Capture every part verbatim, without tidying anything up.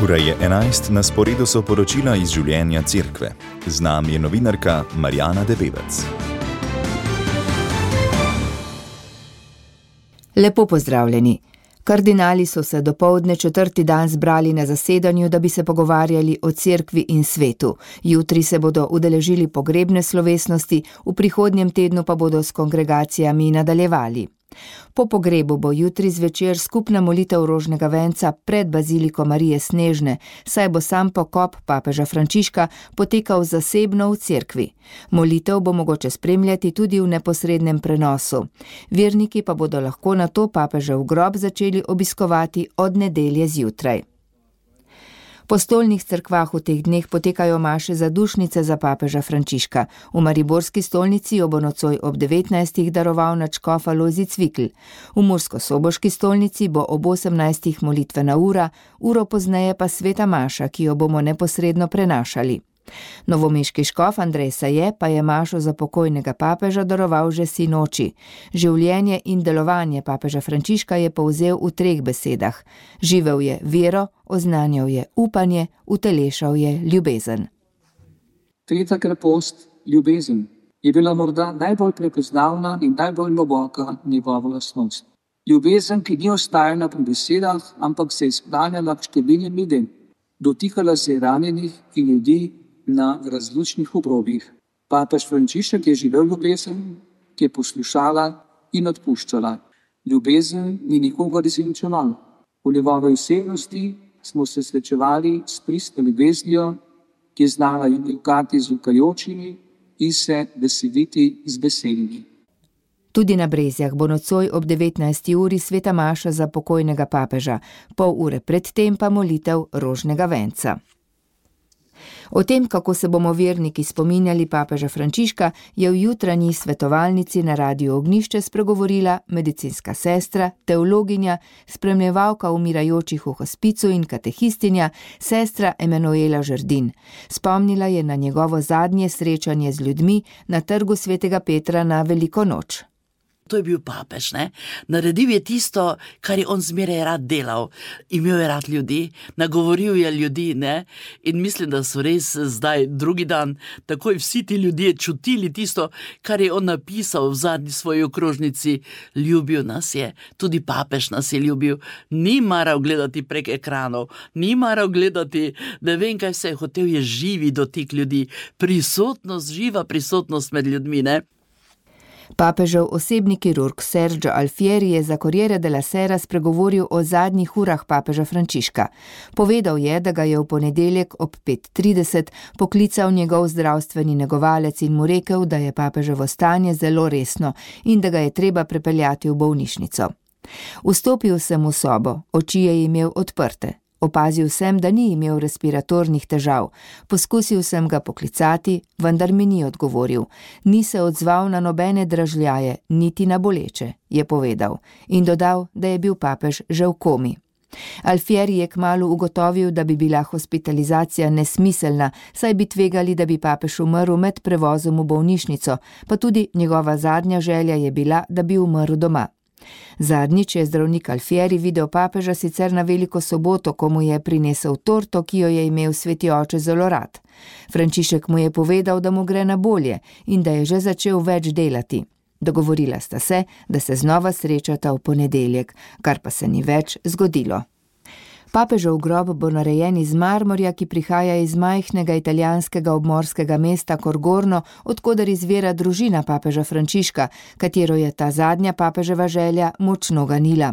Ura je enajst, na sporedu so poročila iz življenja cerkve. Z nami je novinarka Marjana Debevec. Lepo pozdravljeni. Kardinali so se dopoldne četrti dan zbrali na zasedanju, da bi se pogovarjali o cerkvi in svetu. Jutri se bodo udeležili pogrebne slovesnosti, v prihodnjem tednu pa bodo s kongregacijami nadaljevali. Po pogrebu bo jutri zvečer skupna molitev rožnega venca pred baziliko Marije Snežne, saj bo sam pokop papeža Frančiška potekal zasebno v cerkvi. Molitev bo mogoče spremljati tudi v neposrednem prenosu. Verniki pa bodo lahko nato papežev grob začeli obiskovati od nedelje zjutraj. Po stolnih cerkvah v teh dneh potekajo maše za dušnice za papeža Frančiška. V mariborski stolnici jo bo nocoj ob devetnajstih daroval nadškof Alojzij Cvikl. V murskosoboški stolnici bo ob osemnajstih molitvena ura, uro pozneje pa sveta maša, ki jo bomo neposredno prenašali. Novomeški škof Andrej Saje pa je mašo za pokojnega papeža daroval že sinoči. Življenje in delovanje papeža Frančiška je povzel v treh besedah. Živel je vero, oznanjal je upanje, utelešal je ljubezen. Tretja krepost, ljubezen, je bila morda najbolj prepoznavna in najbolj globoka njegova lastnost. Ljubezen, ki ni ostajala pri besedah, ampak se je sklanjala k številnim ljudem. Dotikala se je ranjenih in ljudi na različnih obrobjih. Papež Frančišek je živel ljubezen, ki je poslušala in odpuščala. Ljubezen ni nikogar izničevala. V njegovi osebnosti smo se srečevali s pristno ljubeznijo, ki je znala jokati z ukajočimi in se veseliti z besedami. Tudi na Brezjah bo nocoj ob devetnajsti uri sveta maša za pokojnega papeža, pol ure predtem pa molitev rožnega venca. O tem, kako se bomo verniki spominjali papeža Frančiška, je v jutranji svetovalnici na Radiu Ognjišče spregovorila medicinska sestra, teologinja, spremljevalka umirajočih v hospicu in katehistinja, sestra Emanuela Žerdin. Spomnila je na njegovo zadnje srečanje z ljudmi na trgu svetega Petra na Veliko noč. To je bil papež, ne? Naredil je tisto, kar je on zmeraj rad delal. Imel je rad ljudi, nagovoril je ljudi, ne? In mislim, da so res zdaj drugi dan takoj vsi ti ljudje čutili tisto, kar je on napisal v zadnji svoji okrožnici. Ljubil nas je, tudi papež nas je ljubil. Ni maral gledati prek ekranov, ni maral gledati, ne vem kaj vse, hotel je živi dotik ljudi, prisotnost, živa prisotnost med ljudmi, ne? Papežev osebni kirurg Sergio Alfieri je za Corriere della Sera spregovoril o zadnjih urah papeža Frančiška. Povedal je, da ga je v ponedeljek ob pet trideset poklical njegov zdravstveni negovalec in mu rekel, da je papeževo stanje zelo resno in da ga je treba prepeljati v bolnišnico. Vstopil sem v sobo, oči je imel odprte. Opazil sem, da ni imel respiratornih težav. Poskusil sem ga poklicati, vendar mi ni odgovoril. Ni se odzval na nobene dražljaje, niti na boleče, je povedal. In dodal, da je bil papež že v komi. Alfieri je kmalu ugotovil, da bi bila hospitalizacija nesmiselna, saj bi tvegali, da bi papež umrl med prevozom v bolnišnico, pa tudi njegova zadnja želja je bila, da bi umrl doma. Zadnjič je zdravnik Alfieri videl papeža sicer na Veliko soboto, ko mu je prinesel torto, ki jo je imel sveti oče zelo rad. Frančišek mu je povedal, da mu gre na bolje in da je že začel več delati. Dogovorila sta se, da se znova srečata v ponedeljek, kar pa se ni več zgodilo. Papežev grob bo narejen iz marmorja, ki prihaja iz majhnega italijanskega obmorskega mesta Corgorno, odkoder izvira družina papeža Frančiška, katero je ta zadnja papeževa želja močno ganila.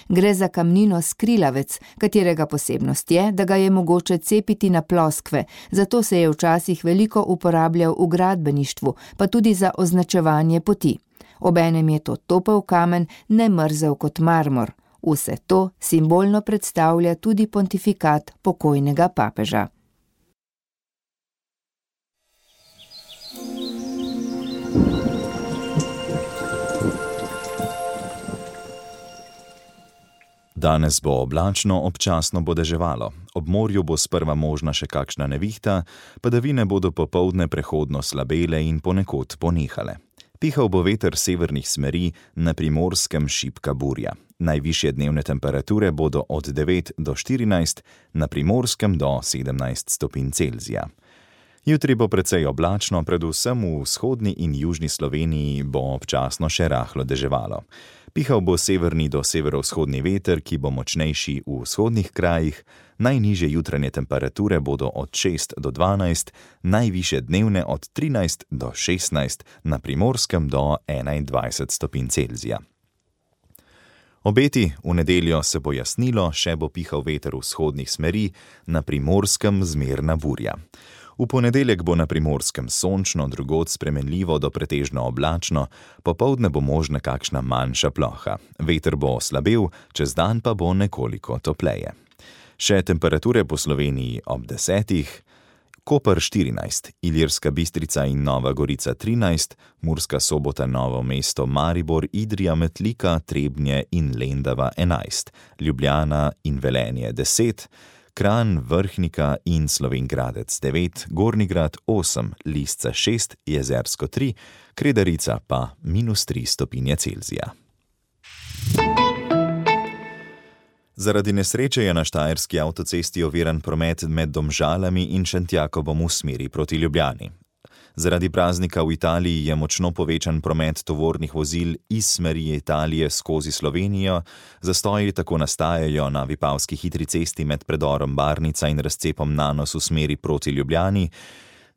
Gre za kamnino skrilavec, katerega posebnost je, da ga je mogoče cepiti na ploskve, zato se je včasih veliko uporabljal v gradbeništvu, pa tudi za označevanje poti. Obenem je to topel kamen, ne mrzel kot marmor. Vse to simbolno predstavlja tudi pontifikat pokojnega papeža. Danes bo oblačno, občasno bo deževalo. Ob morju bo sprva možna še kakšna nevihta, padavine bodo popoldne prehodno slabele in ponekod ponehale. Pihal bo veter severnih smeri, na Primorskem šibka burja. Najvišje dnevne temperature bodo od devet do štirinajst, na Primorskem do sedemnajst stopinj Celzija. Jutri bo precej oblačno, predvsem v vzhodni in južni Sloveniji bo občasno še rahlo deževalo. Pihal bo severni do severovzhodni veter, ki bo močnejši v vzhodnih krajih, najnižje jutranje temperature bodo od šest do dvanajst, najvišje dnevne od trinajst do šestnajst, na Primorskem do enaindvajset stopinj Celzija. Obeti: v nedeljo se bo jasnilo, še bo pihal veter vzhodnih smeri, na Primorskem zmerna burja. V ponedeljek bo na Primorskem sončno, drugod spremenljivo do pretežno oblačno, popoldne bo možna kakšna manjša ploha. Veter bo slabel, čez dan pa bo nekoliko topleje. Še temperature po Sloveniji ob desetih: Koper štirinajst, Ilirska Bistrica in Nova Gorica trinajst, Murska Sobota, Novo mesto, Maribor, Idrija, Metlika, Trebnje in Lendava enajst, Ljubljana in Velenje deset, Kranj, Vrhnika in Slovenj Gradec devet, Gornji Grad osem, Lisca šest, Jezersko tri, Kredarica pa minus tri stopinje Celzija. Zaradi nesreče je na štajerski avtocesti oviran promet med Domžalami in Šentjakobom v smeri proti Ljubljani. Zaradi praznika v Italiji je močno povečan promet tovornih vozil iz smeri Italije skozi Slovenijo, zastoji tako nastajajo na Vipavski hitri cesti med predorom Barnica in razcepom Nanos v smeri proti Ljubljani,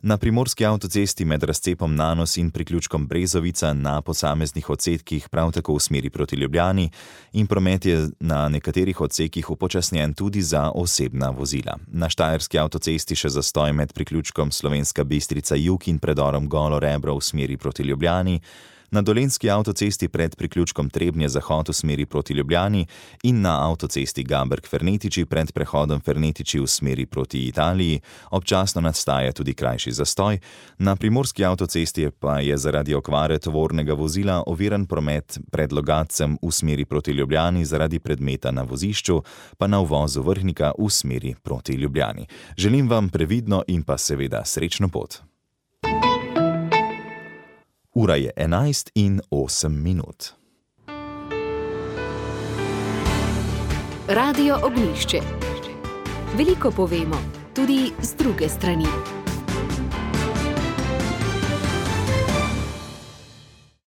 na Primorski avtocesti med razcepom Nanos in priključkom Brezovica na posameznih odsekih prav tako v smeri proti Ljubljani in promet je na nekaterih odsekih upočasnjen tudi za osebna vozila. Na štajerski avtocesti še zastoj med priključkom Slovenska Bistrica jug in predorom Golo Rebro v smeri proti Ljubljani, na dolenjski avtocesti pred priključkom Trebnje zahod v smeri proti Ljubljani in na avtocesti Gaberg-Fernetiči pred prehodom Fernetiči v smeri proti Italiji občasno nastaja tudi krajši zastoj, na primorski avtocesti pa je zaradi okvare tovornega vozila oviran promet pred Logatcem v smeri proti Ljubljani zaradi predmeta na vozišču, pa na uvozu Vrhnika v smeri proti Ljubljani. Želim vam previdno in pa seveda srečno pot. Ura je enajst in osem minut. Radio Ognjišče. Veliko povemo, tudi z druge strani.